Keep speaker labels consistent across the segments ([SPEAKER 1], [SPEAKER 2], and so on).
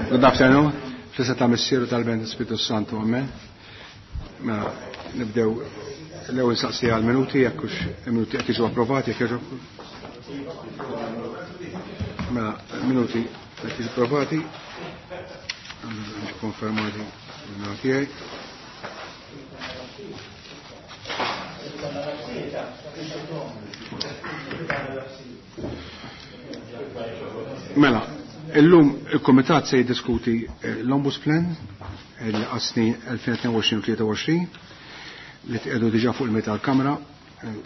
[SPEAKER 1] Good afternoon. Fl-isem ta' Missieru tal-Ben Spiritu Santu, amen. Mela, nibdew l-ewwel saqsija għal-minuti, jekk hux minuti qed jiġu approvati, jekk jiġu. Mela, minuti qed jiġu approvati. Konfermati minna tiegħi. Mela, illum il-Komitat se jiddiskuti l-Ombuds Plan għas-snin 2022-2023 li tqiegħdu diġà fuq il-meta tal-Kamra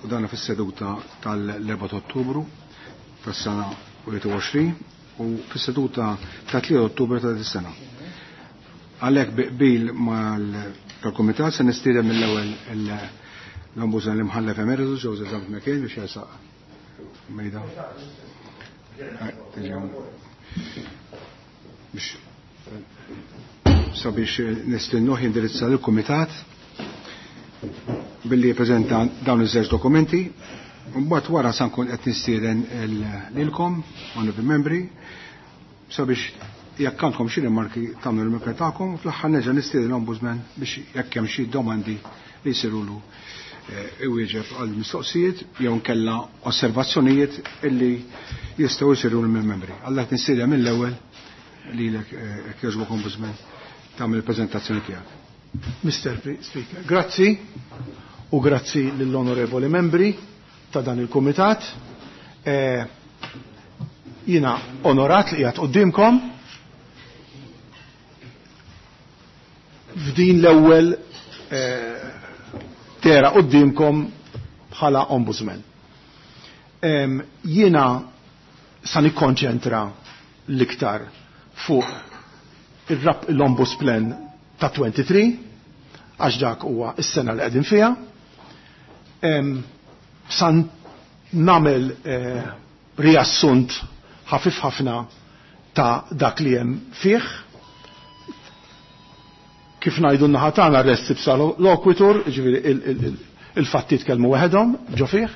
[SPEAKER 1] u dana fis-seduta tal-4 Ottubru tas-sena 21 u fis-seduta ta' 3 Ottubru ta' dis-sena. Għalhekk bi qbil mal-Komitat se nistieden mill-ewwel l-Ombudsman l-Imħallef Emeritus Joseph Zammit McKane biex jersaq mejda. Biex sabiex nistinnuh jindirizza l-Kumitat billi jippreżenta dawn iż-żewġ dokumenti. Mbagħad wara sa nkun qed nistieden lilkom, onorevoli membri, sabiex jekk għandkom xi rimarki tagħmlu l-rimarki tagħkom, u fl-aħħar nerġa' nistieden l-Ombudsman biex jekk hemm xi domandi li jsirulu iwieġeb għal mistoqsijiet jew nkella osservazzjonijiet illi jistgħu jsiru mill-membri. Għallek nistieden mill-ewwel lilek jekk jogħġbok Ombudsman tagħmel il-preżentazzjoni tiegħek.
[SPEAKER 2] Mr. Speaker, grazzi u grazzi lill-onorevoli membri ta' dan il-kumitat. Jiena onorat li qiegħed quddiemkom f'din l-ewwel tera quddiemkom bħala ombudsman. Jiena sa nikkonċentra l-iktar fuq l-Ombuds Plan ta' 23, għax dak huwa s-sena li qegħdin fiha. Sa nagħmel riassunt ħafif ħafna ta' dak li hemm fih. Kif ngħidu n-naħa tagħna res ipsa loquitur, jiġifieri il-fatti tkellmu waħedhom ġo fih,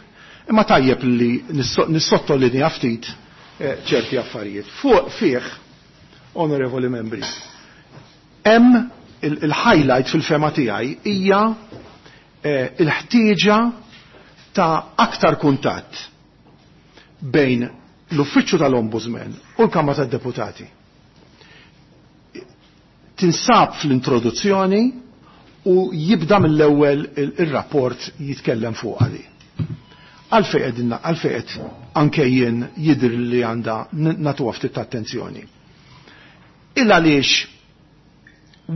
[SPEAKER 2] imma tajjeb li nissottolinja ftit ċerti affarijiet. Fuq fih, onorevoli membri, hemm il-highlight fil-fema tiegħi hija il-ħtieġa ta' aktar kuntatt bejn l-Uffiċċju tal-Ombudsman u l-Kamra tad-Deputati. Tinsab fl-introduzzjoni u jibda mill-ewwel il-rapport jitkellem fuq għali. Għalfejn qegħdin għalfejn qed anke jien jidher li għandha nagħtuha ftit ta' attenzjoni. Il għaliex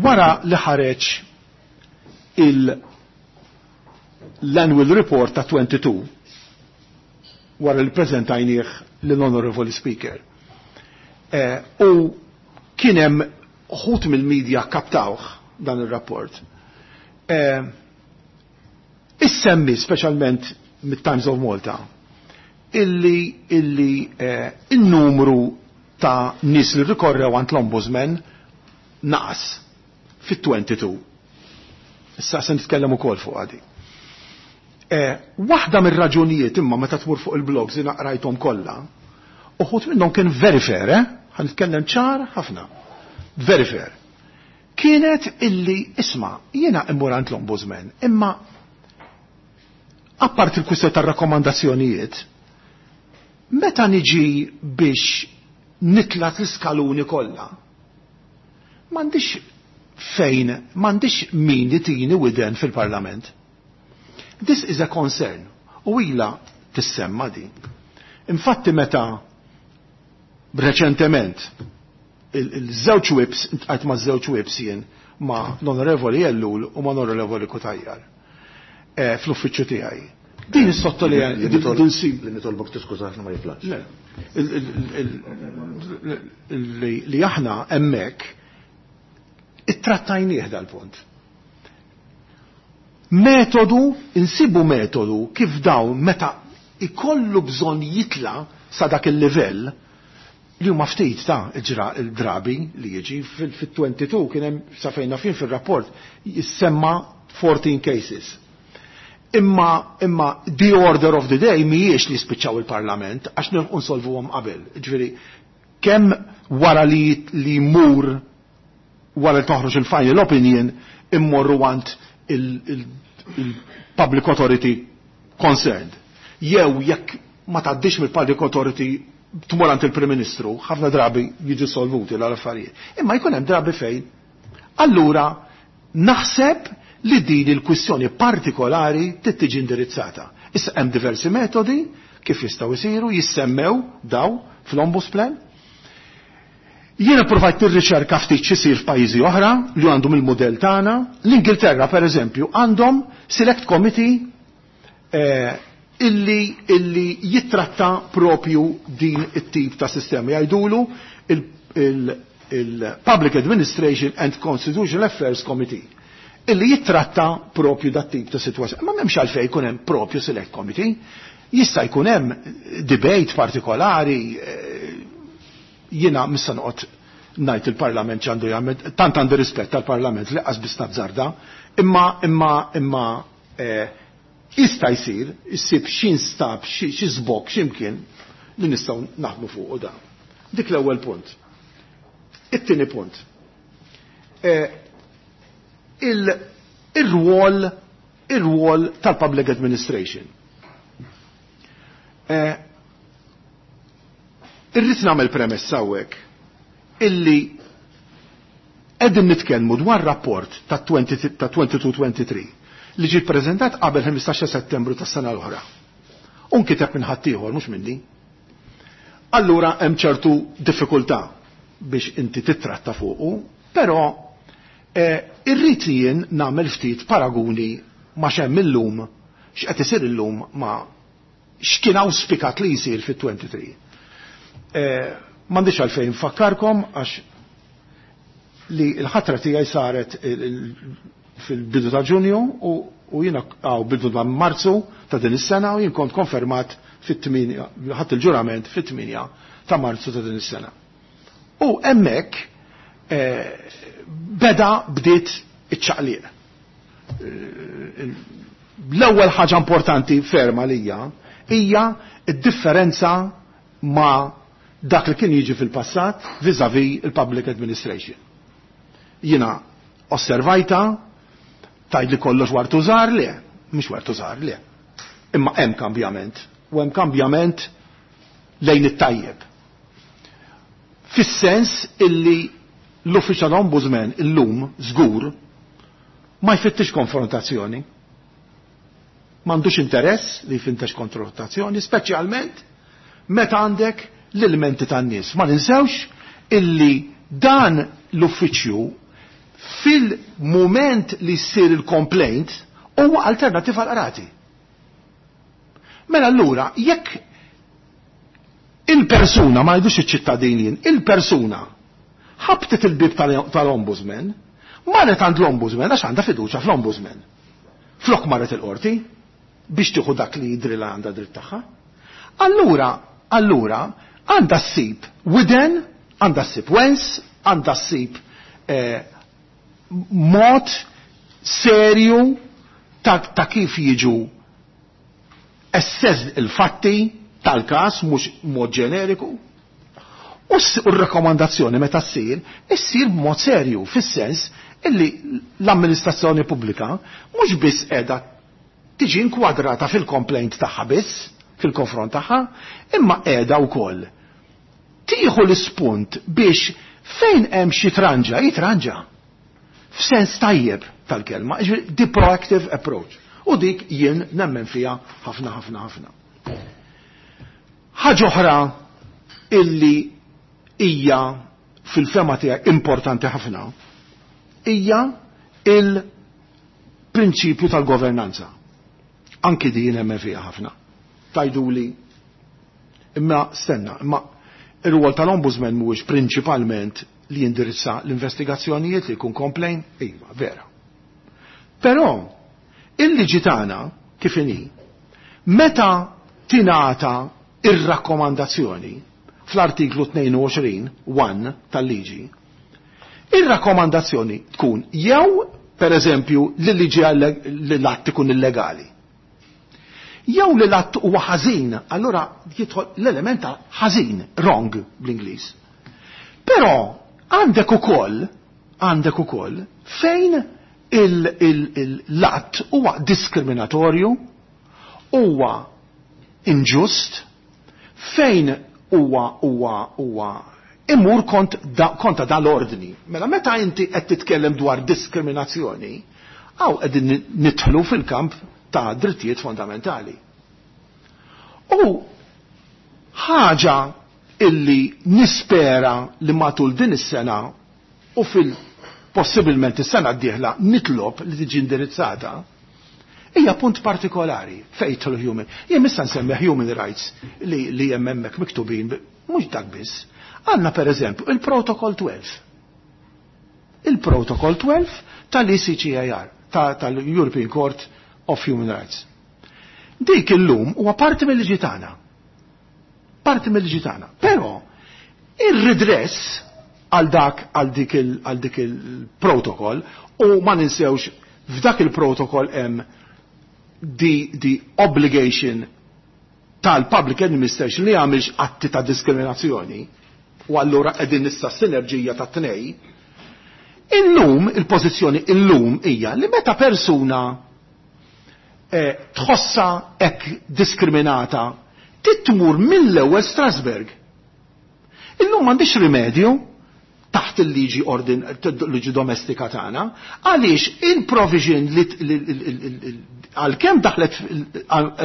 [SPEAKER 2] wara li ħareġ l-annual report ta' 22 wara li preżentajnieh lill-Honorable Speaker. U kien hemm uħud mill-medja kaptawh dan ir-rapport. Issemmi speċjalment mit-Times of Malta illi in-numru ta' nies li rikorrew għand l-Ombudsman naqas fit-22. Issa se nitkellem ukoll fuq għadi. Waħda mir-raġunijiet imma meta tmur fuq il-blogs li naqrajthom kollha, uħud minnhom kien very fair, eh? Ħa nitkellem ċar ħafna. Very fair. Kienet illi isma' jiena immur għand l-Ombudsman, imma apart il-kwistjoni tar-rakkomandazzjonijiet, meta niġi biex nitla' l-iskaluni kollha, m'għandix fejn, m'għandix min jitini widen fil-Parlament. This is a concern. U ila tissemma din. Infatti meta reċentement il-żewġ whips, intqajt ma' żewġ whips jien ma' l-Onorevoli Ellul u ma' l-Onorevoli Cutajar fl-uffiċċju tiegħi. Din is-sottolinja din sib
[SPEAKER 3] li nitolbok tiskuża ma jiflax.
[SPEAKER 2] Le. Li aħna hemmhekk ittrattajnieh dal-punt. Metodu, insibu metodu kif dawn meta ikollu bżonn jitla sa dak il-livell li huma ftit ta' il-drabi li jiġi fil-22 kien hemm sa fejn fin fil-rapport jissemma 14 cases. Imma the order of the day mhijiex li spiċċaw il-Parlament għax nilħqu nsolvuhom qabel. Ġifieri kemm wara li li jmur wara li toħroġ il-final opinion immorru għand il-public authority concerned. Jew jekk ma tgħaddix mill-public authority tmur għand il-Prim Ministru, ħafna drabi jiġu solvuti l-affarijiet. Imma jkun hemm drabi fejn. Allura naħseb li din il-kwistjoni partikolari trid tiġi indirizzata. Issa hemm diversi metodi kif jistgħu jsiru, jissemmew daw fl-Ombudsman. Jiena provajt nirriċerka ftit x'isir f'pajjiżi oħra li għandhom il-mudell tagħna. L-Ingilterra pereżempju għandhom select committee illi jittratta propju din it-tip ta' sistema. Jgħidulu il-Public Administration and Constitutional Affairs Committee illi jittratta propju dat tip ta' situazzjoni. Ma m'hemmx għalfejn jkun hemm propju select committee, jista' jkun hemm debate partikolari, jiena missa noqgħod ngħid il-Parlament x'għandu jagħmel, tant għandi rispett tal-Parlament li qas biss nazzarda, imma jista' jsir, issib xi nstab, xi żbokk x'imkien li nistgħu naħdmu fuq da. Dik l-ewwel punt. It-tieni punt. Il-rwol tal-public administration. Irrid nagħmel premessa hawnhekk illi qegħdin nitkellmu dwar rapport ta' 22-23 li ġie ppreżentat qabel 15 Settembru tas-sena l-oħra. U nkiteb minn ħaddieħor mhux minni. Allura hemm ċertu diffikultà biex inti titratta fuqu, però irrid li jien nagħmel ftit paraguni ma' x'hemm illum, x'qed isir illum ma' x'kien awspikat li jsir fit-23. M'għandix għalfejn nfakkarkom għax li l-ħatra tiegħi saret fil-bidu ta' Ġunju u jiena għaw bidu ta' Marzu ta' din is-sena u jien kont konfermat fit-8, ħadd il-ġurament fit-8 ta' Marzu ta' din is-sena. U hemmhekk bdiet iċ-ċaqliq. L-ewwel ħaġa importanti ferma lija hija d-differenza ma' dak li kien jiġi fil-passat vis-à-vis il-public administration. Jiena osservajta, tajd li kollox wartu żgħar le, mhux wartu żgħar le. Imma hemm kambjament, u hemm kambjament lejn it-tajjeb. Fis-sens illi l-Official Ombudsman illum żgur ma jfittix konfrontazzjoni. M'għandux interess li jfittex konfrontazzjoni, speċjalment meta għandek l-elementi tan-nies. Ma ninsewx illi dan l-uffiċċju fil-moment li ssir il-complaint huwa alternativa għal qrati. Mela allura jekk il-persuna, ma jgħidux iċ-ċittadinin, il-persuna ħabtet il-bib tal-ombudsman, marret għand l-ombudsman għax għandha fiduċa fl-ombudsman. Flok marret il-qorti biex tieħu dak li jidri li għandha dritt tagħha. Allura għandha ssib widen, għandha ssib wens, għandha ssib mod serju ta' kif jiġu assess il-fatti tal-kas, mhux mod ġeneriku. U r-rakkomandazzjoni meta ssir, issir b'mod serju, fis-sens illi l-amministrazzjoni pubblika mhux biss qiegħda tiġi inkwadrata fil-complaint tagħha biss, fil-konfront tagħha, imma qiegħda wkoll tieħu l-ispunt biex fejn hemm xi tranġa, jitranġa. F'sens tajjeb tal-kelma, jiġifieri the proactive approach. U dik jien nemmen fiha ħafna ħafna ħafna. Ħaġa oħra illi hija fil-fema tiegħi importanti ħafna hija il-prinċipju tal-governanza. Anki di jien nemmen fiha ħafna. Tajduli, imma stenna, imma ir-rwol tal-ombudsman mhuwiex prinċipalment li jindirizza l-investigazzjonijiet li jkun complain, iva, vera. Però il-liġi tagħna kif inhi, meta tingħata ir-rakkomandazzjoni fl-artiklu 22 1 tal-liġi, ir-rakkomandazzjoni tkun jew, per eżempju, li l-liġi li l-att ikun illegali. Jew li l-att huwa ħażin, allura jidħol l-element ta' ħażin, wrong bl-Ingliż. Però għandek ukoll fejn l-att huwa diskriminatorju, huwa inġust, fejn huwa imur kontra dal-ordni. Mela meta inti qed titkellem dwar diskriminazzjoni, hawn qegħdin nidħlu fil-kamp ta' drittijiet fondamentali. U ħaġa illi nispera li matul din is-sena u fil-possibilment is-sena d-dieħla nitlob li tiġi indirizzata, hija punt partikolari fejn jidħlu human. Jien issa nsemmi human rights li hemm hemmhekk miktubin, mhux dak biss. Għandna per eżempju il-Protocol 12. Il-Protocol 12 tal-ECHR, tal-European Court of Human Rights. Dik illum huwa parti mill-liġi tagħna. Parti mill-liġi tagħna. Però ir-redress għal dak għal dik il-protokoll, u ma ninsewx f'dak il-protokoll hemm the obligation tal-public administration li jagħmilx atti ta' diskriminazzjoni, u allura qegħdin nista' sinerġija ta' tnej. Illum il-pożizzjoni illum hija li meta persuna tħossa hekk diskriminata titmur mill-ewwel Strasburg. Illum m'għandix rimedju taħt il-liġi ordin, liġi domestika tagħna, għaliex il-provision li għalkemm daħlet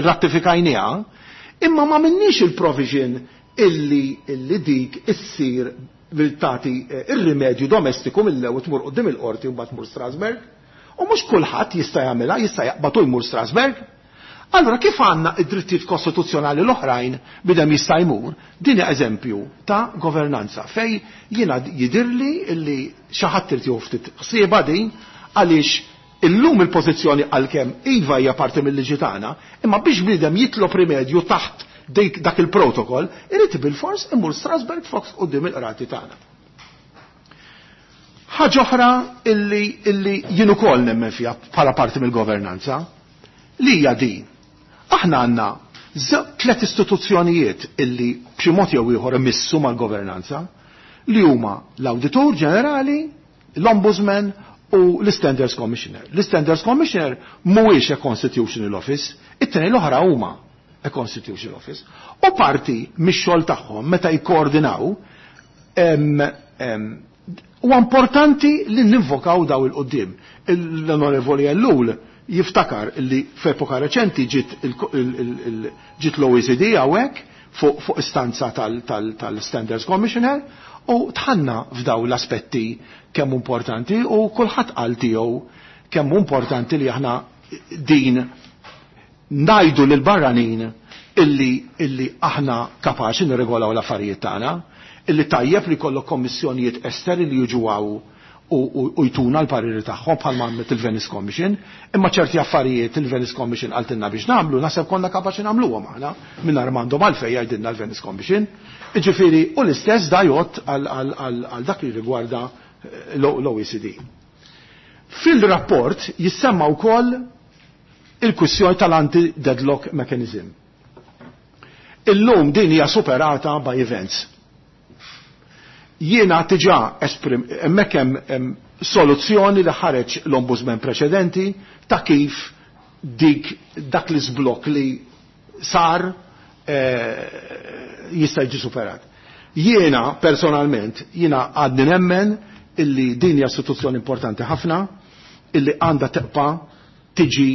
[SPEAKER 2] ratifikajniha, imma ma minnix il-provision illi dik issir bil-tati ir-rimedju domestiku mill-ewwel tmur quddiem il-qorti u mbagħad tmur Strasburg. U mhux kulħadd jista' jagħmilha, jista' jaqbad u jmur Strasburg. Allora kif għandna id-drittijiet kostituzzjonali l-oħrajn bidem jista' jmur, din eżempju ta' governanza fej jiena jidirli illi xi ħadd irid jieħu ftit ħsiebha din, għaliex illum il-pożizzjoni għalkemm iva hija parti mill-liġi tagħna, imma biex bniedem jitlob rimedju taħt dak il-protokoll, irid bil-fors imur Strasburg fuq quddiem il-qrati tagħna. Ħaġa oħra illi jien ukoll nemmen fiha bħala parti mill-governanza, li hija din. Aħna għandna tliet istituzzjonijiet illi b'xi mod jew ieħor imissu mal-governanza, li huma l-Awditur Ġenerali, l-Ombudsman u l-Standards Commissioner. L-Standards Commissioner mhuwiex a constitutional office, it-tnejn l-oħra huma a constitutional office. U parti mix-xogħol tagħhom meta jikkoordinaw, huwa importanti li ninvokaw daw il-qudiem. L-Onorevoli Ellul jiftakar li f'epoka reċenti ġiet l-OECD hawnhekk fuq istanza tal-Standards Commissioner, u tħanna f'daw l-aspetti kemm importanti, u kulħadd qal tiegħu kemm importanti li aħna din ngħidu lil barranin illi aħna kapaċi nirregolaw l-affarijiet tagħna, illi tajjeb li jkollok kommissjonijiet esteri li jiġu hawn u jtuna l-pariri tagħhom bħalma għamlet il-Venice Commission, imma ċerti affarijiet il-Venice Commission qaltilna biex nagħmlu, naħseb konna kapaċi nagħmluhom aħna mingħajr m'għandhom għalfejn jgħidilna l-Venice Commission. Jiġifieri, u l-istess da jgħod għal dak li rigwarda l-OECD. Fil-rapport jissemma wkoll il-kwistjoni tal-anti-deadlock mechanism. Illum din hija superata by events. Jiena diġà esprim, hemmhekk hemm soluzzjoni li ħareġ l-ombudsman preċedenti ta' kif dak l-iżblokk li sar jista' jiġi superat. Jiena personalment, jiena għadni nemmen illi din hija istituzzjoni importanti ħafna, illi għandha tibqa' tiġi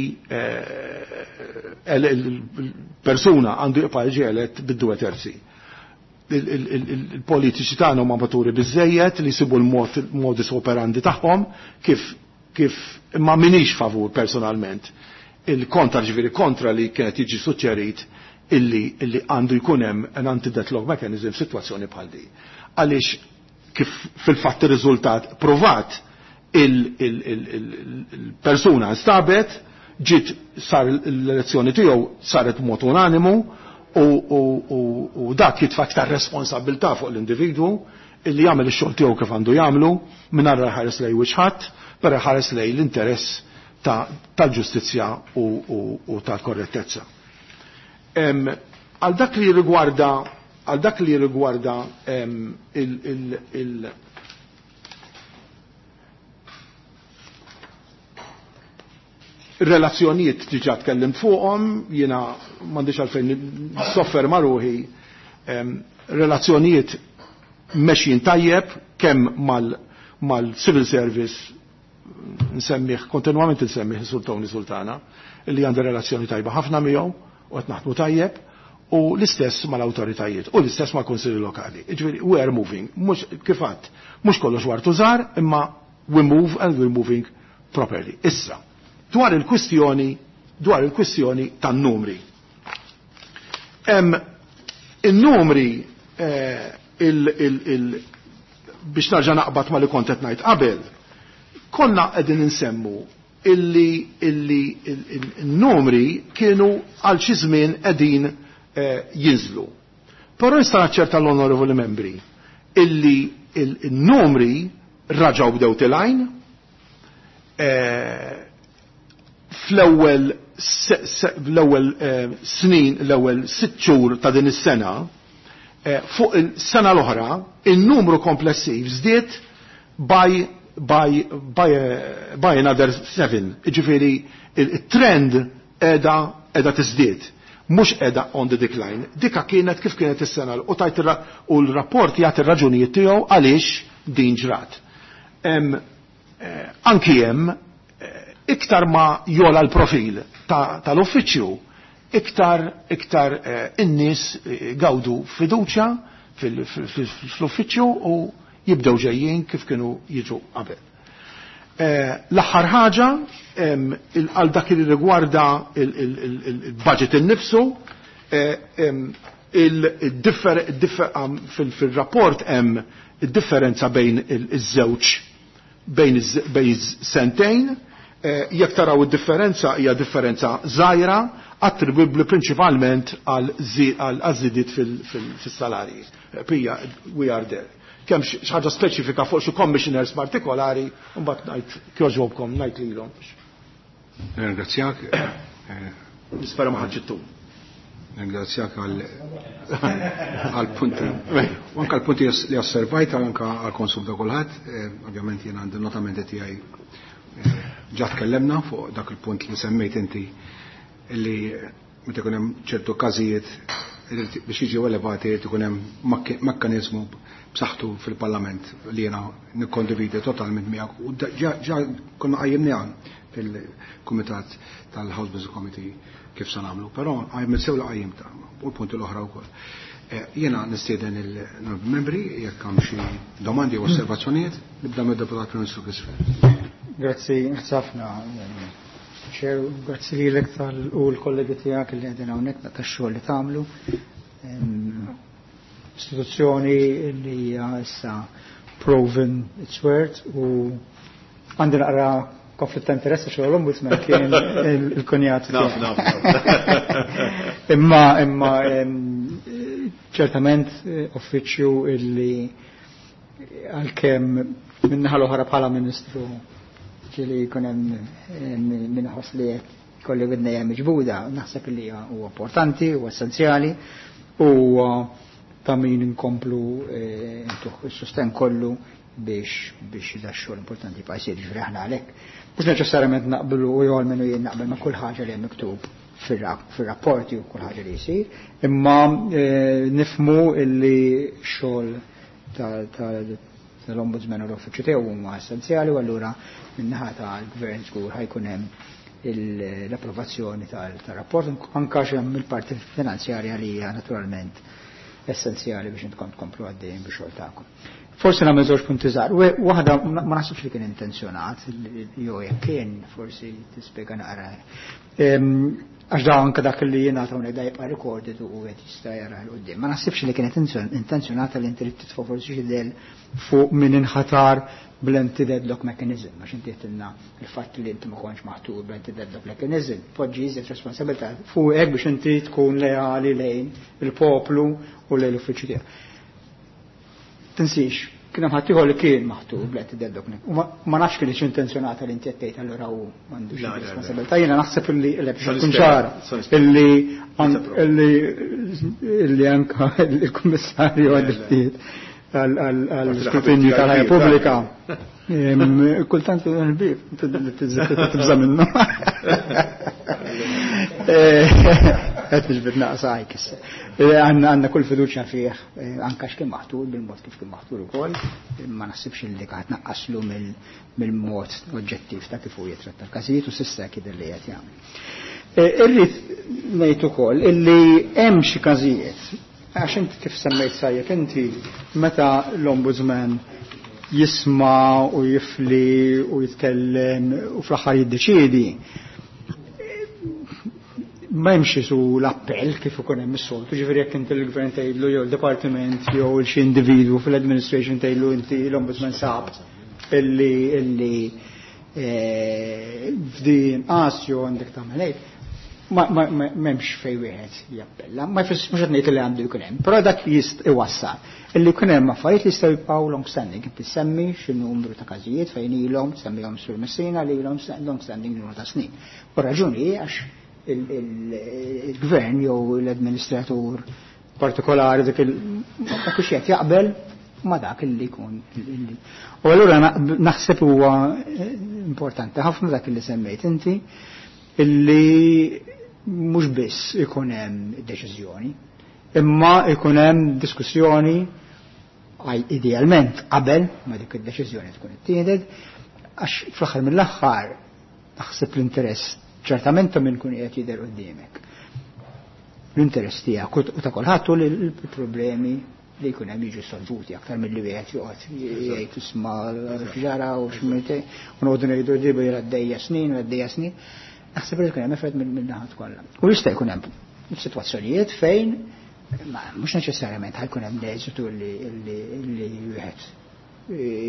[SPEAKER 2] il-persuna għandu jibqa' jiġi elett bid-due terzi. Il-politiċi tagħna huma maturi biżejjed li jsibu l-modus operandi tagħhom kif imma minix favur personalment il-kontra, ġifieri kontra li kienet jiġi suġġerit illi għandu jkun hemm an anti-deadlock mechanism f'sitwazzjoni bħal din. Għaliex kif fil-fatt ir-riżultat provat il-persuna nstabet, ġiet sar l-elezzjoni tiegħu saret b'mod unanimu, u dak jitfa' aktar responsabilità fuq l-individwu illi jagħmel ix-xogħol tiegħu kif għandu jagħmlu mingħajr ħares lej wiċċ ħadd, però ħares lej l-interess tal-ġustizzja u tal-korrettezza. Għal dak li rigwarda Għal dak li rigwarda il relazzjonijiet diġà tkellimt fuqhom, jiena m'għandix għalfejn sofferma ruħi, relazzjonijiet mexjin tajjeb kemm mal-civil service, nsemmih kontinwament, nsemmih Sur Tony Sultana, li għandu relazzjoni tajba ħafna miegħu u qed naħdmu tajjeb, u l-istess mal-awtoritajiet u l-istess mal-kunsilli lokali. Ġifieri we are moving, mhux kif għedt, mhux kollox wartu żgħar, imma we move and we're moving properly. Issa, dwar il-kwistjoni tan-numri. Il-numri biex narġa' naqbad ma li kont qed ngħid qabel, konna qegħdin insemmu illi il-numri kienu għal xi żmien qegħdin jinżlu. Però nista' naċċerta l-onorevoli membri illi il-numri raġaw bdew telgħin fl-ewwel snin, l-ewwel 6 xhur ta' din is-sena, fuq il-sena l-oħra, il-numru komplessiv żdied by another 7. Ġifieri il-trend qiegħda tiżdied. Mhux qiegħda on the decline. Dika kienet kif kienet is-sena u tajt u l-rapport jagħti ir-raġunijiet tiegħu għaliex din ġrat. Anki hemm iktar ma jogħla l-profil tal-uffiċċju, iktar in-nies gawdu fiduċja fl-uffiċċju u jibdew ġejjin kif kienu jiġu qabel. L-aħħar ħaġa, għal dak li rigwarda il-budget innifsu, fil-rapport hemm id-differenza bejn iż-żewġ bejn sentejn, jekk taraw id-differenza hija differenza żgħira attribubbli prinċipalment għal żidiet fis-salarji. Pija, we are there. Kemm xi ħaġa speċifika fuq xi commissioners partikolari, mbagħad ngħid kjoġobkom ngħid lilhom.
[SPEAKER 1] Ringrazzjak.
[SPEAKER 2] Nispera ma ħadġittu.
[SPEAKER 1] Ringrazzjak għal punti. U anka għal punti li osservajt anka għal konsum ta' kulħadd, ovvjament jien għandi notamenti tiegħi, ġa tkellemna fuq dak il-punt li semmejt inti li meta jkun hemm ċertu każijiet biex jiġu elevati jrid ikun hemm mekkaniżmu b'saħħtu fil-Parlament li jiena nikkondividi totalment miegħek u ġa konna qajjimniha fil-Kumitat tal-House Business Committee kif se nagħmlu, però qajjem sew li qajjimta u l-punti l-oħra wkoll. Jiena nistieden il-membri jekk hemm xi domandi u osservazzjonijiet, nibda mid-Deputat Prim Ministru Chris Fearne.
[SPEAKER 3] Grazzi ħafna. Chair, grazzi lilek u l-kollegi tiegħek li qegħdin hawnhekk tax-xogħol li tagħmlu. Istituzzjoni li hija issa proven its worth u għandi naqra konflitt ta' interess għax l-ombudsman kien il-kunjat.
[SPEAKER 2] Naf, naf, naf.
[SPEAKER 3] Imma ċertament uffiċċju illi għalkemm minnaħa l-oħra bħala ministru ġieli jkun hemm min ħoss li kolli widnejja miġbuda, naħseb li huwa importanti, huwa essenzjali u ta' min inkomplu ntuh is-sosten kollu biex da xogħol importanti jibqa' jsir, ġifieri aħna għalhekk. Mhux neċessarjament naqblu u jew almenu jien naqbel ma' kull ħaġa li hemm miktub fir-rapporti u kull ħaġa li jsir, imma nifhmu illi xogħol tal-Ombudsman u l-uffiċċju tiegħu huma essenzjali u allura min-naħa tal-Gvern żgur ħa jkun hemm l-approvazzjoni tal-rapport anka hemm il-parti finanzjarja li hija naturalment essenzjali biex intkom tkomplu għaddejjin biex xogħol tagħkom. Forsi nagħmel żewġ punti żgħar. Waħda ma naħsibx li kien intenzjonat, jew jekk kien forsi tispjega naqra. Għax da anke dak li jingħata hawnhekk da jibqa' recorded u qed jista' jara 'l quddiem. Ma naħsibx li kienet intenzjonata li inti titfa' forsi xi del fuq min inħatar bl-anti-deadlock mechanism, għax inti għedtilna il-fatt li inti ma kontx maħtur bl-anti-deadlock mechanism, poġġi iżjed responsabilità fuqek biex inti tkun leali lejn il-poplu u lejn l-uffiċċju tiegħek. Tinsix, Kien hemm ħaddieħor li kien maħtur blet id-dok. U ma nafx kienx intenzjonata li inti qed tgħid allura hu m'għandux responsabilità. Jiena naħseb illi tkun ċara illi illi anka il-Kummissarju għad-drittijiet għall-iskrutinju tal-ħajja pubblika. Kultant il-bib, tibża minnu. Qed niġbed naqsa għajk issa. Għandna kull fiduċja fih, anka x'kien maħtur bil-mod kif kien maħtur ukoll, ma naħsibx li qed naqqaslu mill-mod oġġettiv ta' kif hu jitratta l-każijiet u s'issa jidher li qed jagħmel. Irrid ngħid ukoll illi hemm xi każijiet, għax inti kif semmejt sajjeb inti meta l-Ombudsman jisma' u jifli u jitkellem u fl-aħħar jiddeċiedi, ma hemmx isu l-appell kif ikun hemm is-soltu, ġifieri jekk inti l-gvern tgħidlu jew il-dipartiment jew xi individwu fil-administration tgħidlu inti l-Ombudsman sab illi f'din qas jew għandek tagħmel hekk, m'hemmx fejn wieħed jappella, ma jfissirx mhux qed ngħid li għandu jkun hemm, però dak jist iwassal illi jkun hemm affarijiet li jistgħu jibqgħu long standing, inti semmi xi numru ta' każijiet fejn ilhom, semmihom Sur Messina li ilhom long standing numru ta' snin. U raġuni għax il-gvern jew l-administratur partikolari dik dak qed jaqbel ma dak illi jkun. U allura naħseb huwa importanti ħafna dak illi semmejt inti, illi mhux biss ikun hemm deċiżjoni, imma ikun hemm diskussjoni idealment qabel ma dik id-deċiżjoni tkun ittieħdet, għax fl-aħħar mill-aħħar naħseb l-interess ċertament ta' min kun qiegħed jidher quddiemek. L-interess tiegħek u ta' kulħadd u l-problemi li jkun hemm jiġu solvuti aktar milli wieħed joqgħod jgħid isma' x'ġara u x'mite u noqogħdu ngħidu dibu għaddejja snin u għaddejja snin. Naħseb li jkun hemm effett minn naħat kollha. U jista' jkun hemm sitwazzjonijiet fejn mhux neċessarjament ħajkun hemm l-eżitu li wieħed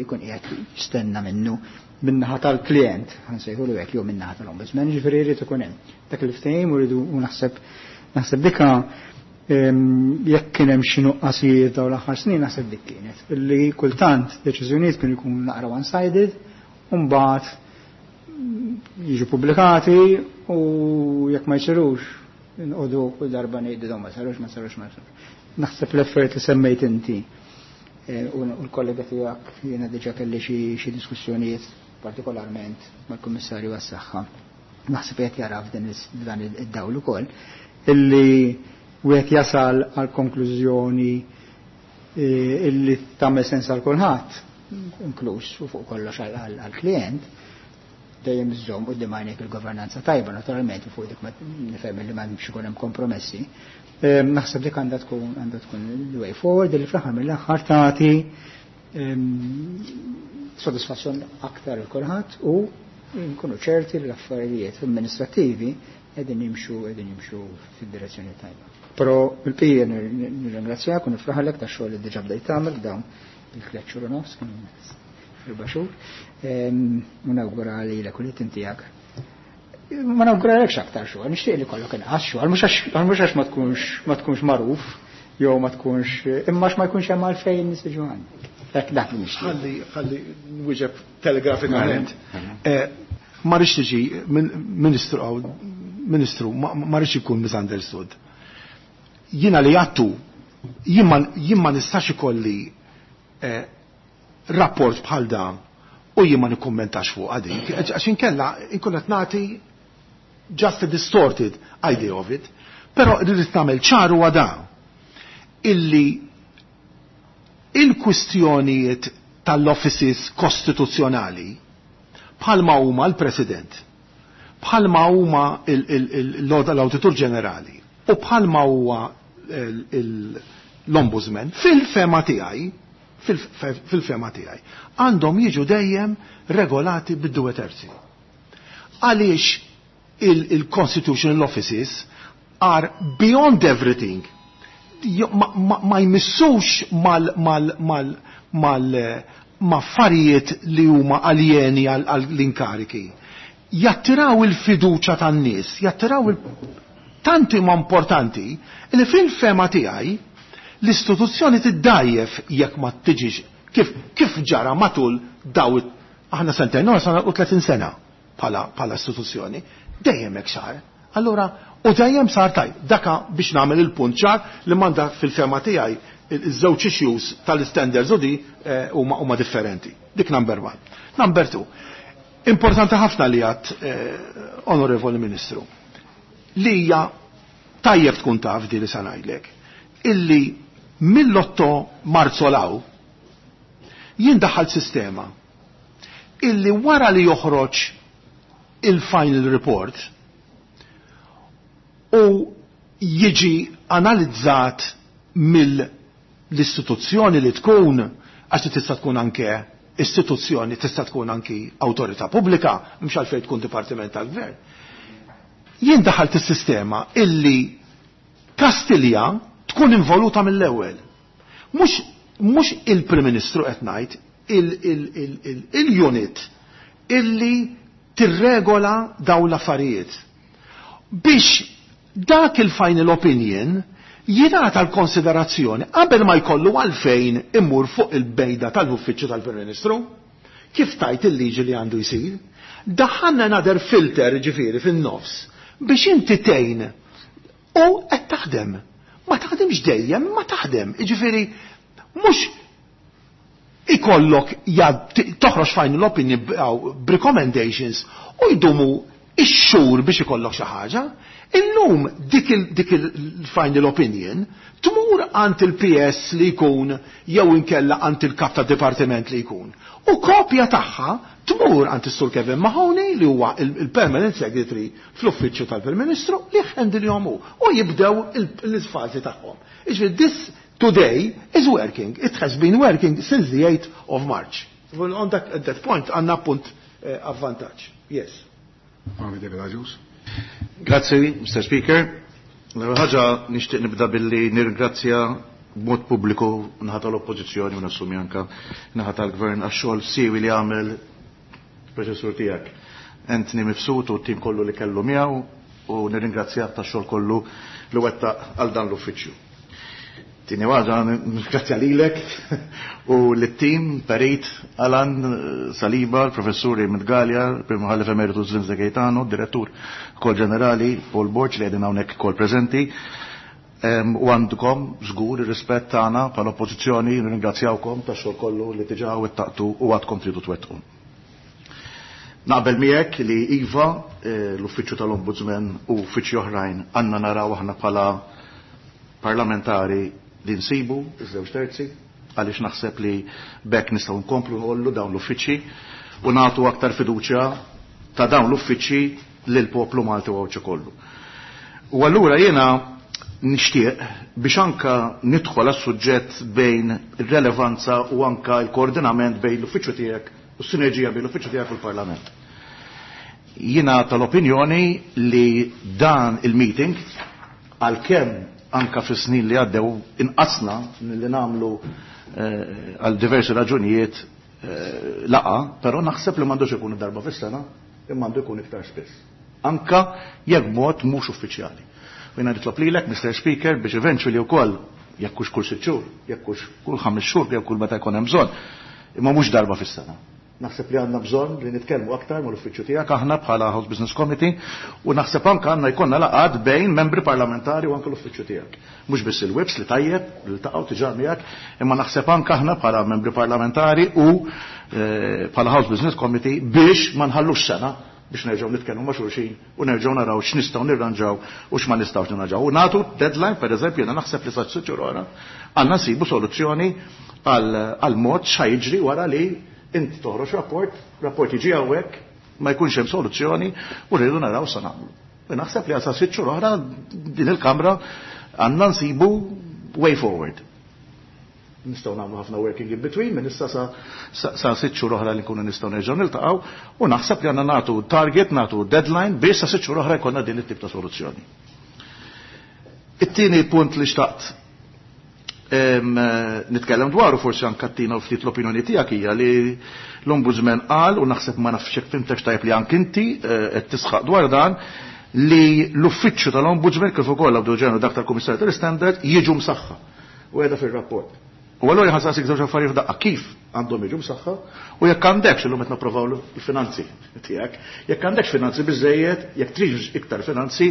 [SPEAKER 3] jkun qiegħed jistenna minnu min-naħa tal-klient, ħansejħulu hekk, jew min-naħa tal-ombudsman, ġifieri jrid ikun hemm dak il-ftehim u rridu u naħseb dika jekk kien hemm xi nuqqasijiet dawn l-aħħar snin, naħseb dik kienet. Illi kultant deċiżjonijiet kienu jkunu naqra one-sided, u mbagħad jiġu pubblikati u jekk ma jsirux nqogħdu kull darba ngħidu dawn ma sarux, ma sarux, ma sarux. Naħseb l-effort li semmejt inti u l-kollega tiegħek, jiena diġà kelli xi diskussjonijiet partikolarment mal-Kummissarju għas-Saħħa. Naħseb qed jara f'dan id-dawl ukoll illi wieħed jasal għal konklużjoni illi tagħmel sens għal kulħadd, inkluż u fuq kollox għall-klient, dejjem iżżomm quddiem għajnejk il-governanza tajba naturalment, u fuq dik ma nifhem li m'hemmx ikun hemm kompromessi. Naħseb dik għandha tkun il-way forward li fl-aħħar mill-aħħar tagħti sodisfazzjon aktar il kulħadd u nkunu ċerti li l-affarijiet amministrativi qegħdin jimxu fid-direzzjoni tajba. Però il-pija nirringrazzjak u nifraħlek ta' xogħol li diġà bdejt tagħmel dawn il-3 xhur u nofs, kienu 4 xhur. U nawgura li l tiegħek. Ma nawguralekx aktar xogħol, nixtieq li kollok inqas xogħol, mhux għax ma tkunx magħruf jew ma tkunx, imma għax ma jkunx hemm għalfejn nies jiġu għandek. Hekk dak li nixtieq.
[SPEAKER 2] Ħalli nwieġeb telegrafikament. Ma rridx tiġi ministru għaw, ministru, ma rridx ikun misunderstood. Jiena li għattu, jien ma nistax ikolli rapport bħal dan u jien ma nikkommentax fuq għadik, għax inkella inkun qed nagħti just a distorted idea of it. Però rrid nagħmel ċaru għada illi il-kwistjonijiet tal-offices kostituzzjonali bħalma huma l-President, bħalma huma l-Awditur Ġenerali u bħalma huwa l-Ombudsman, fil-fehma tiegħi, għandhom jiġu dejjem regolati bid-due terzi. Għaliex il-constitutional offices are beyond everything. Ma jmissux mal mal mal mal ma affarijiet li huma aljeni għall-inkariki. Jattiraw il-fiduċa tan-nies, jattiraw il tanti ma importanti li fil-fehma tiegħi l-istituzzjoni tiddajjef jekk ma tiġix. Kif ġara matul daw aħna sentejn oħra sa 30 sena bħala istituzzjoni, dejjem hekk sar. Allura, u dejjem sar tajb. Daka biex nagħmel il-punt ċar li manda fil-fema tiegħi iż-żewġ issues tal-standards u di huma differenti. Dik number one. Number two. Importanti ħafna li għat, Onorevoli Ministru, li hija tajjeb tkun taf di li sa ngħidlek, illi mill-8 Marzu law jien daħħalt sistema illi wara li joħroġ il-final report u jiġi analizzat mill-istituzzjoni li tkun, għax tista' tkun anke istituzzjoni, tista' tkun anki awtorità pubblika, mhux għalfejn tkun dipartiment tal-gvern. Jien daħalt is-sistema illi Kastilja tkun involuta mill-ewwel. Mhux il-Prim Ministru qed ngħid, il-unit illi tirregola dawn l-affarijiet. Biex dak il-final opinion jingħata l-konsiderazzjoni qabel ma jkollu għalfejn immur fuq il-bejda tal-uffiċċju tal-Prim Ministru. Kif tajt il-liġi li għandu jsir? Daħħalna another filter ġifieri fin-nofs biex inti tgħin u qed taħdem. Ma taħdimx dejjem, ma taħdem. Ġifieri mhux ikollok toħroġ final opinion b'recommendations u jdumu ix-xhur biex ikollok xi ħaġa. Illum dik il-final opinion tmur għand il-PS li jkun jew inkella għand il-kap ta' dipartiment li jkun. U kopja tagħha tmur għand is-Sur Kevin Mahoney li huwa il-Permanent Secretary fl-Uffiċċju tal-Prim Ministru li jħendilhom hu u jibdew l-fażi tagħhom. Jiġifieri this today is working. It has been working since the 8th of March. Well, on that, at that point għandna punt avvantaġġ. Yes.
[SPEAKER 1] David Agius.
[SPEAKER 4] Grazzi, Mr. Speaker. L-ewwel ħaġa nixtieq nibda billi nirringrazzja b'mod pubbliku naħa tal-Oppożizzjoni u nassumi anke naħa tal-Gvern għax-xogħol siewi li għamel preċessur tiegħek. Anthony Mifsud u t-tim kollu li kellu miegħu u nirringrazzjah tax-xogħol kollu li wettaq għal dan l-uffiċċju. Tieni waħda nirringrazzja lilek u lit-tim Perit, Alan Saliba, l-professuri Midgalja, Prim Mħallef Emeritus Vince Gaetano, direttur kol ġenerali Paul Borg li qegħdin hawnhekk kol preżenti. U għandkom żgur ir-rispett tagħna bħala oppożizzjoni, nirringrazzjawkom tax-xogħol kollu li diġà wettaqtu u għadkom tridu twettqu. Naqbel miegħek li iva l-uffiċċju tal-Ombudsman u uffiċċji oħrajn għandna naraw aħna bħala parlamentari li nsibu iż-żewġ terzi, għaliex naħseb li bekk nistgħu nkomplu nħollu dawn l-uffiċċji u nagħtu aktar fiduċja ta' dawn l-uffiċċji lil poplu Malti u Għawdxi kollu. U allura jiena nixtieq biex anka nidħol għas-suġġett bejn ir-relevanza u anka l-koordinament bejn l-uffiċċju tiegħek u s-sinerġija bejn l-uffiċċju tiegħek u l-Parlament. Jiena tal-opinjoni li dan il-meeting għalkemm anka fis-snin li għaddew inqasna li nagħmlu għal diversi raġunijiet laqa, però naħseb li m'għandux ikun darba fis-sena, imma għandu jkun iktar spiss. Anka jekk mod mhux uffiċjali. U jiena nitlob lilek, Mr. Speaker, biex eventually wkoll jekk hux kull 6 xhur, jekk hux kull 5 xhur, jekk kull meta jkun hemm bżonn, imma mhux darba fis-sena. Naħseb li għandna bżonn li nitkellmu aktar mal-uffiċċju tiegħek aħna bħala House Business Committee u naħseb anke għandna jkollna laqgħat bejn membri parlamentari u anke l-uffiċċju tiegħek. Mhux biss il-whips li tajjeb li ltaqgħu diġà miegħek, imma naħseb anke aħna bħala membri parlamentari u bħala House Business Committee biex ma nħallux sena biex nerġgħu nitkellmu ma' xulxin u nerġgħu naraw x'nistgħu nirranġaw u x'ma nistgħux nirranġaw. U nagħtu deadline, pereżempju, jiena naħseb li sa sitt xhur oħra għandna nsibu soluzzjoni għal mod x'ha jiġri wara li inti toħroġ rapport, rapport jiġi hawnhekk, ma jkunx hemm soluzzjoni u rridu naraw sa nagħmlu. U naħseb li għal sa sitt xhur oħra din il-Kamra għandna nsibu way forward. Nistgħu nagħmlu ħafna working in between minn issa sa 6 xhur oħra li nkunu nistgħu nerġgħu niltaqgħu u naħseb li għandna nagħtu target, nagħtu deadline biex sa 6 xhur oħra jkollna din it-tip ta' soluzzjoni. It-tieni punt li xtaqt nitkellem dwaru forsi anke tina u ftit l-opinjoni tiegħek hija li l-Ombudsman qal u naħseb ma nafx hekk fimtek tajjeb li anke inti qed tisħaq dwar dan li l-uffiċċju tal-Ombudsman kif ukoll l-Awditur Ġenerali dak tal-Kummissarju tal-Istandard jiġu msaħħa u qiegħda fir-rapport. U allura ħa nsaqsik żewġ affarijiet f'daqqa: kif għandhom jiġu msaħħa u jekk għandekx, illum qed napprovaw l-finanzi tiegħek, jekk għandekx finanzi biżejjed, jekk tridx iktar finanzi,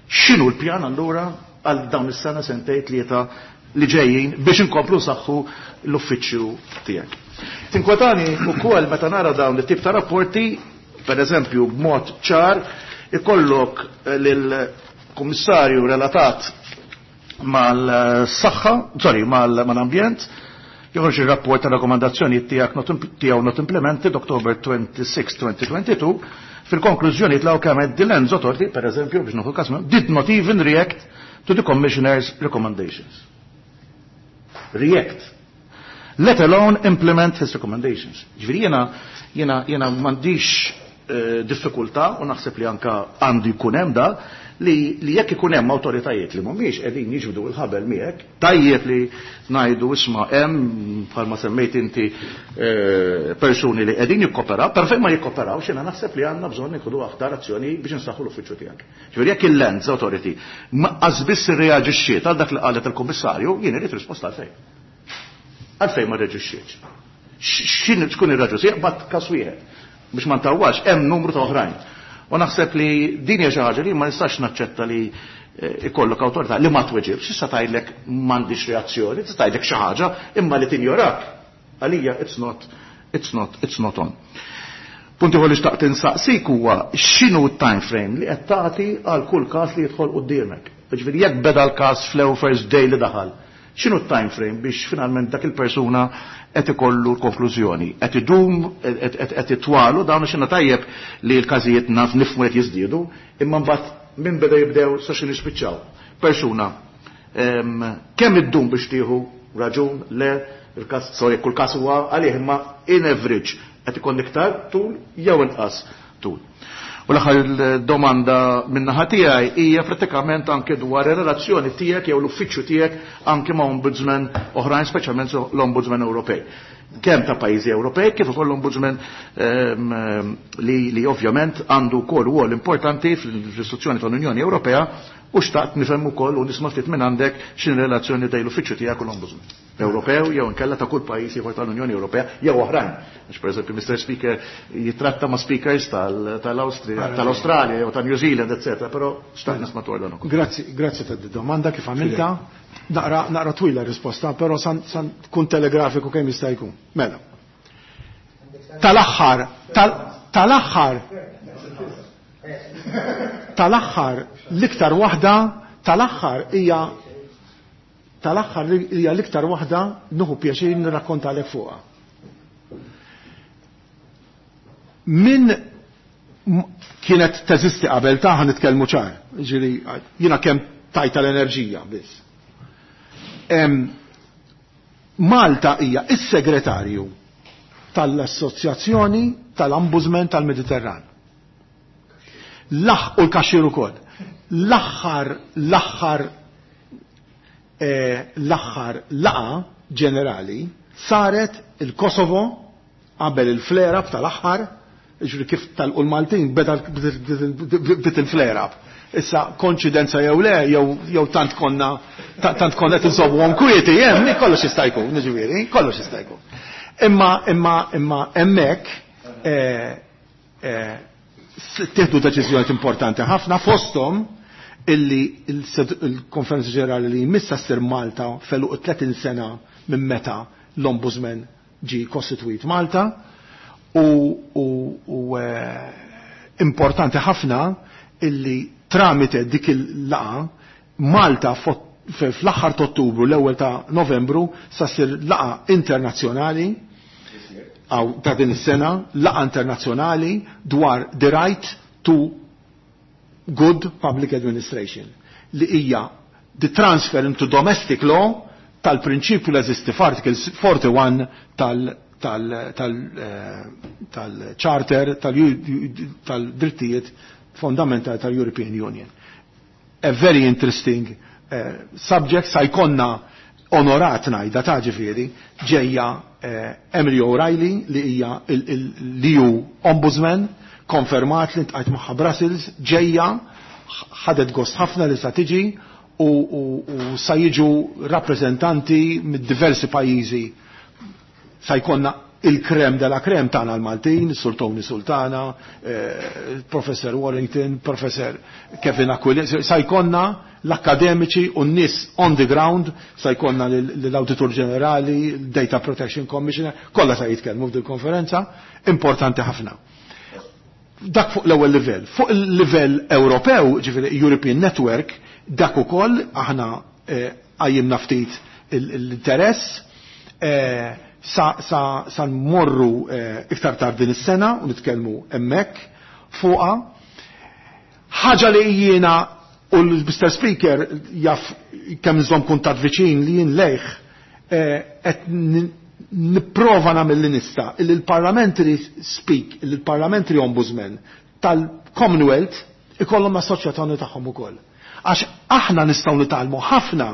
[SPEAKER 4] x'inhu l-pjan allura għal dawn is-sena, sentejn, tlieta li ġejjin biex inkomplu nsaħħu l-uffiċċju tiegħek? Tinkwetani wkoll meta nara dawn it-tip ta' rapporti, per eżempju, b'mod ċar ikollok lill-kummissarju relatat mal-saħħa, sorry, mal-ambjent, joħroġ ir-rapport ta' rakkomandazzjoni tiegħek tiegħu not implemented October 26, 2022, fil-konklużjoni tlaw kemm the Lands Authority, per eżempju, biex nieħu każ, did not even react to the commissioner's recommendations. React. Let alone implement his recommendations. Ġifieri jiena m'għandix diffikultà u naħseb li anka għandu jkun hemm da li jekk ikun hemm awtoritajiet li mhumiex qegħdin jiġbdu l-ħabel miegħek, tajjeb li ngħidu, isma', hemm, bħalma semmejt inti, persuni li qegħdin jikkoperaw, però fejn ma jikkoperaw jiena naħseb li għandna bżonn nieħdu aktar azzjoni biex insaħħu l-uffiċċju tiegħek. Ġifieri jekk il-Lands Authority ma biss irreaġixxiet għal dak li qalet il-Kummissarju, jien irid risposta għalfejn. Għalfejn ma reaġixxietx? X'in tkun ir-raġuni? Jaqbad każ wieħed. Biex ma ntawwax, hemm numru ta' oħrajn. U naħseb li din hija xi ħaġa li ma nistax naċċetta, li ikollok awtorità li ma tweġibx, issa tgħidlek m'għandix reazzjoni, tista' tgħidlek xi ħaġa, imma li tinjorak. Għalija it's not on. Punti li xtaqt insaqsik huwa x'inhu t-time frame li qed tagħti għal kull każ li jidħol quddiemek? Ġifieri jekk beda l-każ fl first day li daħal, x'inhu t-time frame biex finalment dak il-persuna qed ikollu l-konklużjoni? Qed idum, qed itwalu dawn x'inhu tajjeb li l-każijiet naf nifhmu qed jiżdiedu, imma mbagħad minn beda jibdew sa xi nispiċċaw. Persuna kemm iddum biex tieħu raġun, le, il-każ, sorry, kull każ huwa għalih, imma in average qed ikun iktar tul jew inqas tul? U l-aħħar domanda min-naħa tiegħi hija pratikament anke dwar ir-relazzjoni tiegħek jew l-uffiċċju tiegħek anke ma' ombudsman oħrajn, speċjalment l-Ombudsman Ewropej. Kemm ta' pajjiżi Ewropej kif ukoll l-Ombudsman li ovvjament għandu wkoll rwol importanti fl-istituzzjoni tal-Unjoni Ewropea, u xtaqt nifhem ukoll u nisma' ftit minn għandek x'in relazzjoni bejn l-uffiċċju tiegħek u l-Ombudsman Ewropew jew inkella ta' kull pajjiż ieħor tal-Unjoni Ewropea jew oħrajn. Għax pereżempju Mr. Speaker jitratta ma' speakers tal-Awstrija, tal-Awstralja jew ta' New Zealand, etc. Però xtaqt nisma' dwar dan ukoll.
[SPEAKER 2] Grazzi, grazzi ta' domanda kif għamilta. Naqra twila risposta, però san tkun telegrafiku kemm jista' jkun. Mela. Tal-aħħar, l-iktar waħda, tal-aħħar hija tal-aħħar hija l-iktar waħda nieħu pjaċir nirrakkontalek fuqha. Min kienet teżisti qabel ta' nitkellmu ċar, ġifieri jiena kemm tajta l-enerġija biss. Malta hija is-segretarju tal-Assoċjazzjoni tal-Ombudsman tal-Mediterran. Laħ u l-kaxxir ukoll. L-aħħar laqgħa ġenerali saret il-Kosovo qabel il-flare-up tal-aħħar, ġifieri kif tal l-Maltin beda bdiet il-flare-up. Issa konċidenza jew le, jew tant konna qed inżommuhom kwieti, hemm kollox jista' jkun, ġifieri, kollox jista' jkun. Imma hemmhekk tieħdu deċiżjonijiet importanti ħafna, fosthom illi il-Konferenza Ġenerali li jmissa ssir Malta f'għeluq 30 sena minn meta l-Ombudsman ġi kostituit Malta u importanti ħafna illi tramite dik il-laqgħa Malta fl-aħħar ta' Ottubru, l-ewwel ta' Novembru sa ssir laqgħa internazzjonali għaw ta' din is-sena, laqgħa internazzjonali dwar the right to good public administration, li hija the transfer into domestic law tal-prinċipju li eżisti f'Article 41 tal-Charter tal-drittijiet fondamentali tal-European Union. A very interesting subject. Sa jkollna onorat ngħidha ta' ġifieri ġejja Emily O'Reilly li hija l-EU Ombudsman, konfermat li ltqajt magħha Brussels, ġejja, ħadet gost ħafna li sa tiġi. u sa jiġu rappreżentanti mid-diversi pajjiżi. Sa jkollna il-crème de la crème tagħna l-Maltin, Sur Tony Sultana, Professor Warrington, Professor Kevin Aquilina, sa jkollna l-akademiċi u n-nies on the ground, sa jkollna l-Auditur Ġenerali, Data Protection Commissioner, kollha sa jitkellmu f'dil konferenza, importanti ħafna. Dak fuq l-ewwel livell. Fuq il-livell Ewropew, ġifieri European Network, dak ukoll aħna qajjimna ftit l-interess, sa nmorru iktar tard din is-sena u nitkellmu hemmhekk fuqha. Ħaġa li jiena u l-Mr. Speaker jaf kemm nżomm kuntatt viċin li jien lejh qed nipprova nagħmel li nista' illi l-Parliamentary Speak, illi l-Parliamentary Ombudsman tal-Commonwealth ikollhom assoċjazzjoni tagħhom ukoll. Għax aħna nistgħu nitgħallmu ħafna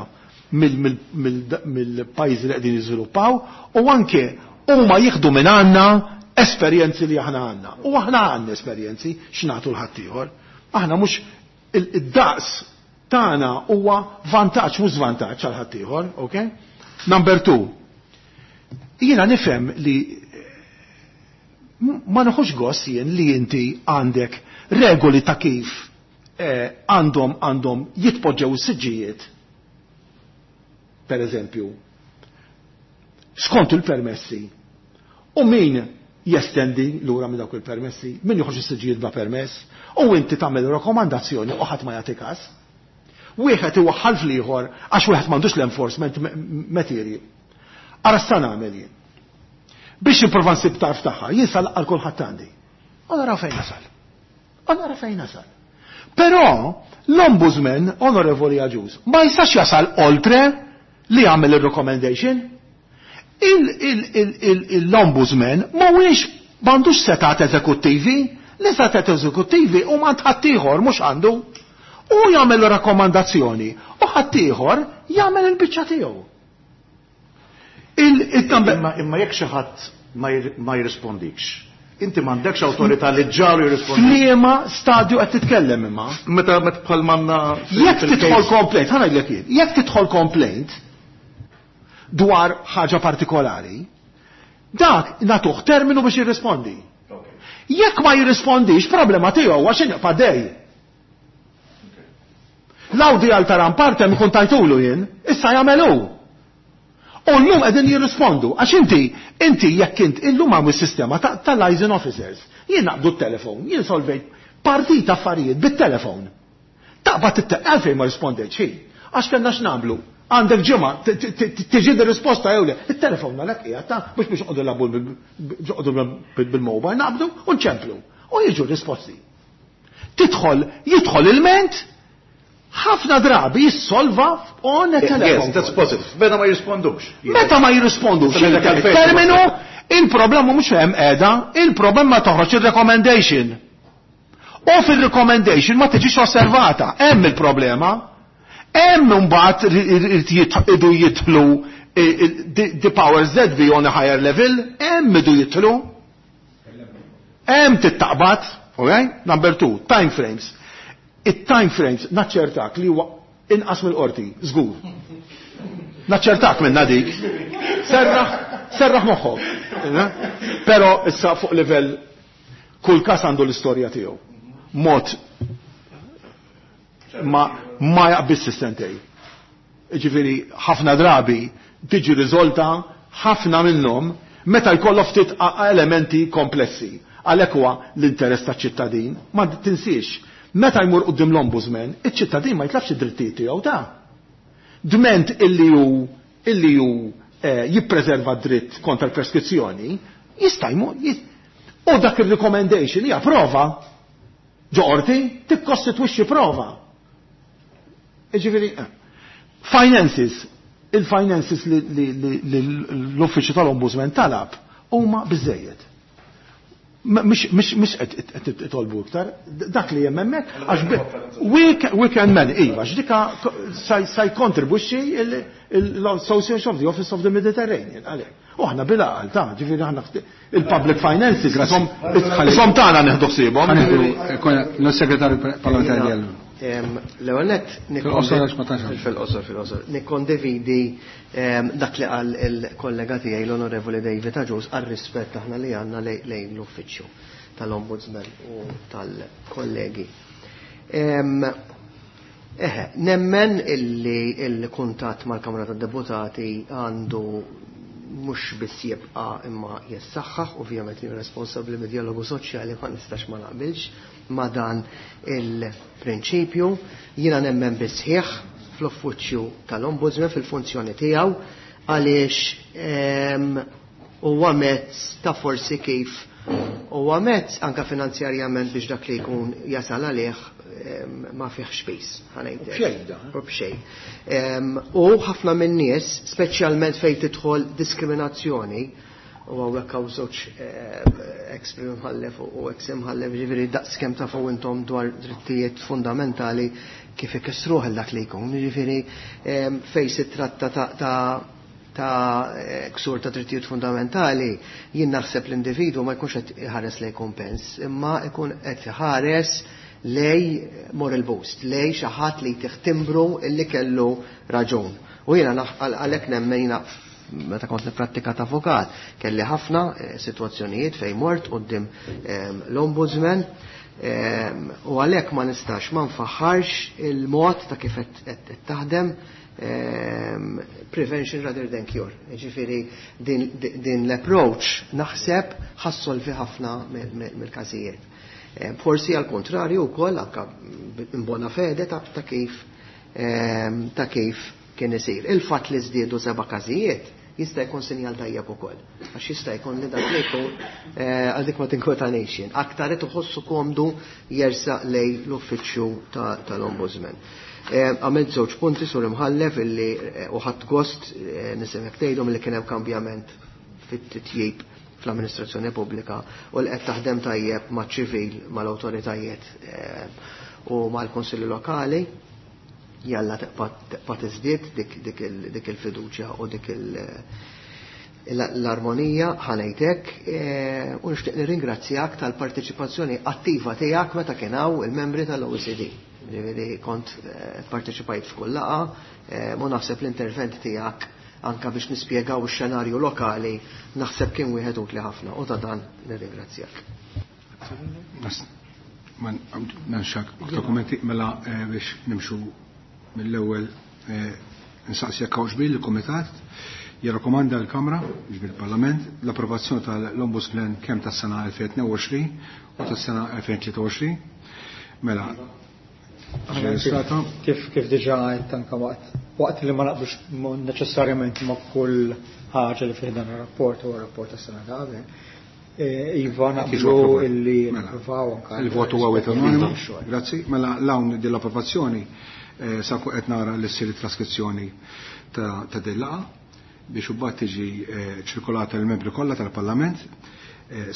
[SPEAKER 2] mill-pajjiżi li qegħdin jiżviluppaw u anke huma jieħdu minn għandna esperjenzi li aħna għandna. U aħna għandna esperjenzi x'nagħtu l-ħaddieħor. Aħna mhux id-daqs tagħna huwa vantaġġ mhux żvantaġġ għal ħaddieħor, okay? Number 2. Jiena nifhem li ma neħux gost jien li inti għandek regoli ta' kif għandhom jitpoġġew is-siġġijiet. Per eżempju, skont il-permessi. U min jestendi lura minn dawk il-permessi, min joħroġ is-siġġijiet bla permess, u inti tagħmel rakkomandazzjoni u ħadd ma jagħti każ. Wieħed iwaħħal fl-ieħor għax wieħed m'għandux l-enforcement material. Ara sa nagħmel jien. Biex nipprova nsib tarf tagħha, jien sa laqgħal kulħadd għandi. U naraw fejn nasal. U naraw fejn nasal. Però l-Ombudsman, Onorevoli Agius, ma jistax jasal oltre li jagħmel ir-recommendation. L-Ombudsman mhuwiex m'għandux setat eżekuttivi, li setat eżekuttivi u ma ħaddieħor mhux għandu. U jagħmel rakkomandazzjoni u ħaddieħor jagħmel il-biċċa tiegħu.
[SPEAKER 4] Imma jekk xi ħadd ma jirrispondikx, inti m'għandekx awtorità li ġalu jirrispondi.
[SPEAKER 2] F'liema stadju qed titkellem imma?
[SPEAKER 4] Meta bħal manna
[SPEAKER 2] Jekk tidħol complaint, ħa ngħidlek jien, jekk tidħol complaint dwar ħaġa partikolari, dak nagħtuh terminu biex jirrispondi. Jekk ma jirrispondix, problema tiegħu għax inqpa' dej. L-Audi għal taram partem ikun tajtulu jien, issa jagħmel hu. U llum qegħdin jirrispondu, għax inti jekk int illum hawn is-sistema tal-liaison officers. Jien naqbdu t-telefon, jien solvejt partita affarijiet bit-telefon. Taqbad għalfejn ma rispondejtx hi. Għax kellna x'nagħmlu. Għandek ġimgħa tiġi risposta jew le. It-telefon għalhekk qiegħed ta' mhux biex noqogħdu nilagħbu noqogħdu bil-mobile, naqbdu u nċemplu. U jiġu risposti. Jidħol il-ment, ħafna drabi jissolva on a telephone.
[SPEAKER 4] Yes, that's positive. Meta ma jirrispondux.
[SPEAKER 2] Meta ma jirrispondux. Terminu, il-problema mhux hemm qiegħda, il-problema toħroġ il-recommendation. U fil-recommendation ma tiġix osservata, hemm il-problema. Hemm imbagħad idu jidħlu the powers that be on a higher level, hemm idu jidħlu. Hemm tittaqbad, okay? Number 2, time frames. It-time frames, naċċertak li huwa inqas mill-qorti, żgur. Naċċertak minna dik. Serraħ moħħok. Però issa fuq livell kull każ għandu l-istorja tiegħu. Mod ma jaqbiss is-sentej. Ġifieri ħafna drabi tiġi riżolta ħafna minnhom meta jkollok ftit elementi komplessi. Għalhekk huwa l-interess taċ-ċittadin. Ma tinsiex, meta jmur quddiem l-ombudsman, iċ-ċittadin ma jitlafx id-drittijiet tiegħu ta' dment illi hu jippreserva dritt kontra l-preskrizzjoni, jista' jmur u dak ir-recommendation hija prova. Ġo qorti tikkostitwixxi prova. Ġifieri, finances, il-finances li l-uffiċċju tal-Ombudsman talab huma biżejjed. Mhix qed itolbu iktar, dak li hemm hemmhekk, għax we can manage, iva, għax dika sa jkontribwixxi l-Association of the Office of the Mediterranean, għalhekk. U aħna bil-għaqal, ta' ġifieri aħna il-public finances, isom tagħna nieħdu ħsiebhom.
[SPEAKER 1] L-segretarju parlamentari.
[SPEAKER 5] L-ewwel nett fil-qosor fil-qosor nikkondividi dak li qal il-kollega tiegħi l-Onorevoli David Agius għar-rispett aħna li għandna lejn l-uffiċċju tal-Ombudsman u tal-kollegi. Eħe, nemmen illi il-kuntatt mal-Kamra tad-Deputati għandu mhux biss jibqa' imma jissaħħaħ, ovvjament jien responsabbli mid-dialogu soċjali ma nistax ma naqbilx ma dan il-prinċipju. Jiena nemmen bisħieħ fl-uffiċċju tal-Ombudsman fil-funzjoni tiegħu għaliex huwa mezz ta' forsi kif huwa mezz anke finanzjarjament biex dak li jkun jasal għalih ma fihx piż, ħa ngħidlek.
[SPEAKER 2] B'xejn da.
[SPEAKER 5] U b'xejn. U ħafna min-nies, speċjalment fejn tidħol diskriminazzjoni, u hawnhekk hawn żewġ ex prim imħallef u ex imħallef, ġifieri daqs kemm tafu intom dwar drittijiet fundamentali kif ikissruh il dak li jkun, ġifieri fejn si tratta ta' ksur ta' drittijiet fundamentali, jien naħseb l-individwu ma jkunx qed iħares lej kumpens, imma jkun qed iħares lej moral boost, lej xi ħadd li tiħtimbru illi kellu raġun. U jiena għalhekk nemmen jiena meta kont nipprattika ta' avukat, kelli ħafna sitwazzjonijiet fejn mort quddiem l-ombudsman, u għalhekk ma nistax ma nfaħħarx il-mod ta' kif qed taħdem, prevention rather than cure. Ġifieri din l-approach naħseb ħassolvi ħafna mill-każijiet. Forsi għal kontrarju wkoll anke in bona fede ta' kif kien isir. Il-fatt li żdiedu 7 każijiet jista' jkun sinjal tajjeb ukoll. Għax jista' jkun li dak li jkun għal dik ma tinkwetanix jien. Aktar qed iħossu komdu jersaq lej l-uffiċċju tal-Ombudsman. Għamilt żewġ punti sur imħallef illi u ħadd gost nisimek tgħidhom li kien hemm kambjament fit-titjib fl-amministrazzjoni pubblika u li qed taħdem tajjeb maċ-ċivil, mal-awtoritajiet u mal-kunsilli lokali. Jalla tibqa' tiżdied dik il-fiduċja u dik l-armonija ħanejtek, u nixtieq nirringrazzjak tal-parteċipazzjoni attiva tiegħek meta kien hawn il-membri tal-OECD. Ġifieri kont parteċipajt f'kull laqgħa, u naħseb l-intervent tiegħek anka biex nispjegaw ix-xenarju lokali naħseb kien wieħed utli ħafna u ta' dan nirringrazzjak.
[SPEAKER 1] Ma nxak dokumenti mela biex nimxu mill-ewwel nsaqsi jekk hawnx bil il-Kumitat jirrakkomanda l-Kamra, ġifieri il-Parlament, l-approvazzjoni tal-Ombudsman kemm tas-sena 2022 u tas-sena 2023. Mela,
[SPEAKER 3] Kif diġà għedt anke waqt li ma naqblux neċessarjament ma' kull ħaġa li fih dan ir-rapport u r-rapport tas-sena ta' qabel. Iva, naqblu illi napprovaw anke
[SPEAKER 1] Il-votu huwa wieħed anonimu. Grazzi. Mela l-hawn din l-approvazzjoni sa qed nara li ssir it-traskrizzjoni ta' din laqgħa biex imbagħad tiġi ċirkolata lill-membri kollha tal-Parlament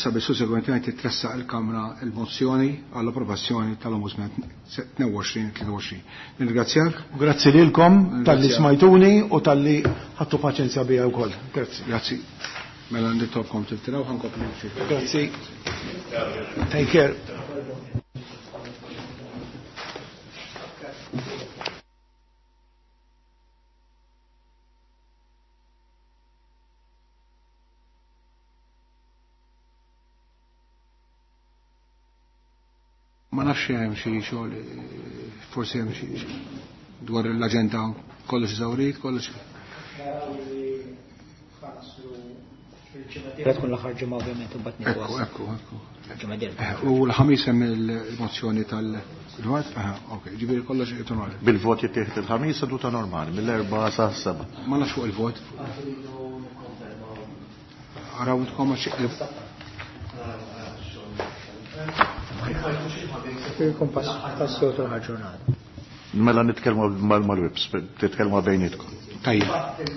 [SPEAKER 1] sabiex sussegwentement titressaq il-Kamra il-mozzjoni għall-approvazzjoni tal-Ombudsman 22-23. Nirringrazzjak.
[SPEAKER 2] Grazzi lilkom tal-li smajtuni u tal-li ħadtu paċenzja bija wkoll. Grazzi.
[SPEAKER 1] Grazzi. Mela nitolbkom tiltiraw ħankomplu ftit.
[SPEAKER 2] Grazzi. Take care.
[SPEAKER 1] Ma nafx hemm xi xogħol, forsi hemm xi dwar l-aġenda kollox eżawrit, kollox.
[SPEAKER 3] Tkun l-aħħar ġimgħa ovvjament u mbagħad
[SPEAKER 1] Ekku, ekku, ekku. U l-ħamis hemm il-mozzjoni tal-dwar, aha, ok, ġifieri kollox qed normali.
[SPEAKER 4] Bil-vot jittieħed il-ħamis seduta normali mill-4 sa 7.
[SPEAKER 1] Ma nafx fuq il-vot. Araw intkom għax
[SPEAKER 3] Il-kompass tas-soltu ġurnata.
[SPEAKER 4] Mela nitkellmu mal-wibs, titkellmu bejnietkom.
[SPEAKER 1] Tajjeb.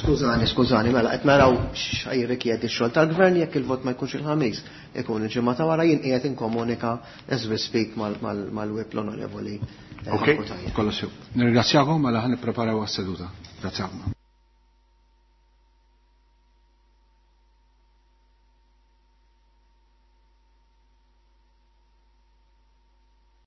[SPEAKER 5] Skużani, skużani, mela qed naraw x'għajrikjedi x-xogħol tal-gvern jekk il-vot ma jkunx il-ħamis, ikun il-ġimgħa ta' wara jien qiegħed inkomunika as we speak mal-wib l-onorevoli.
[SPEAKER 4] Ok,
[SPEAKER 1] kollox sew. Nirringrazzjakom mela ħan nippreparaw għas-seduta. Grazzi ħafna.